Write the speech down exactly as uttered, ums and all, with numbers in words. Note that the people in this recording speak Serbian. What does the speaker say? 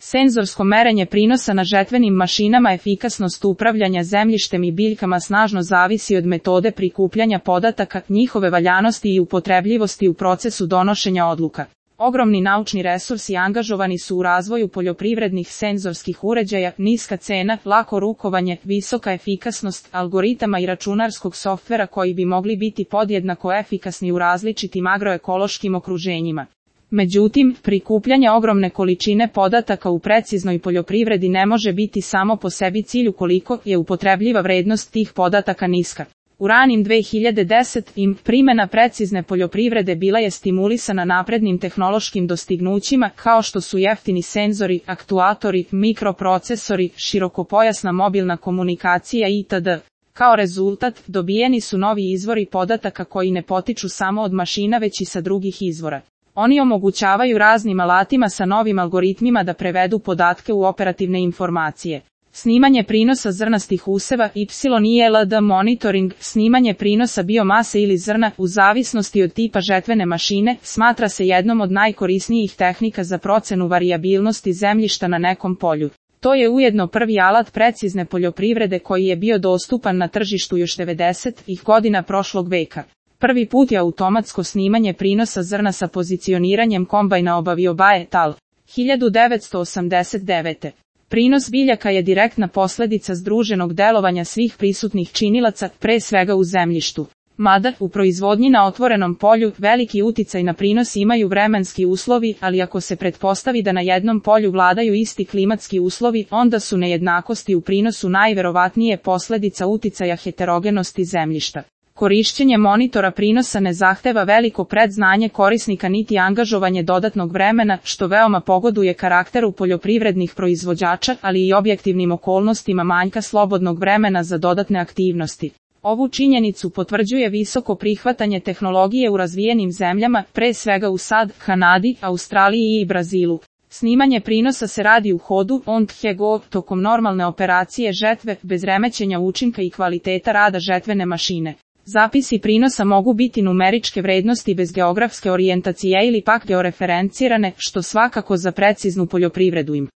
Senzorsko merenje prinosa na žetvenim mašinama. Efikasnost upravljanja zemljištem i biljkama snažno zavisi od metode prikupljanja podataka, njihove valjanosti i upotrebljivosti u procesu donošenja odluka. Ogromni naučni resursi angažovani su u razvoju poljoprivrednih senzorskih uređaja, niska cena, lako rukovanje, visoka efikasnost algoritama i računarskog softvera koji bi mogli biti podjednako efikasni u različitim agroekološkim okruženjima. Međutim, prikupljanje ogromne količine podataka u preciznoj poljoprivredi ne može biti samo po sebi cilj ukoliko je upotrebljiva vrednost tih podataka niska. U ranim dve hiljade desetim primjena precizne poljoprivrede bila je stimulisana naprednim tehnološkim dostignućima kao što su jeftini senzori, aktuatori, mikroprocesori, širokopojasna mobilna komunikacija itd. Kao rezultat, dobijeni su novi izvori podataka koji ne potiču samo od mašina već i sa drugih izvora. Oni omogućavaju raznim alatima sa novim algoritmima da prevedu podatke u operativne informacije. Snimanje prinosa zrnastih useva, Y I L D monitoring, snimanje prinosa biomase ili zrna, u zavisnosti od tipa žetvene mašine, smatra se jednom od najkorisnijih tehnika za procenu varijabilnosti zemljišta na nekom polju. To je ujedno prvi alat precizne poljoprivrede koji je bio dostupan na tržištu još devedesetih godina prošlog veka. Prvi put je automatsko snimanje prinosa zrna sa pozicioniranjem kombajna obavio Bae et al. hiljadu devetsto osamdeset devete. Prinos biljaka je direktna posljedica združenog delovanja svih prisutnih činilaca, pre svega u zemljištu. Mada, u proizvodnji na otvorenom polju, veliki uticaj na prinos imaju vremenski uslovi, ali ako se pretpostavi da na jednom polju vladaju isti klimatski uslovi, onda su nejednakosti u prinosu najverovatnije posljedica uticaja heterogenosti zemljišta. Korišćenje monitora prinosa ne zahteva veliko predznanje korisnika niti angažovanje dodatnog vremena, što veoma pogoduje karakteru poljoprivrednih proizvođača, ali i objektivnim okolnostima manjka slobodnog vremena za dodatne aktivnosti. Ovu činjenicu potvrđuje visoko prihvatanje tehnologije u razvijenim zemljama, pre svega u SAD, Kanadi, Australiji i Brazilu. Snimanje prinosa se radi u hodu, on the go, tokom normalne operacije žetve, bez remećenja učinka i kvaliteta rada žetvene mašine. Zapisi prinosa mogu biti numeričke vrednosti bez geografske orijentacije ili pak georeferencirane, što svakako za preciznu poljoprivredu im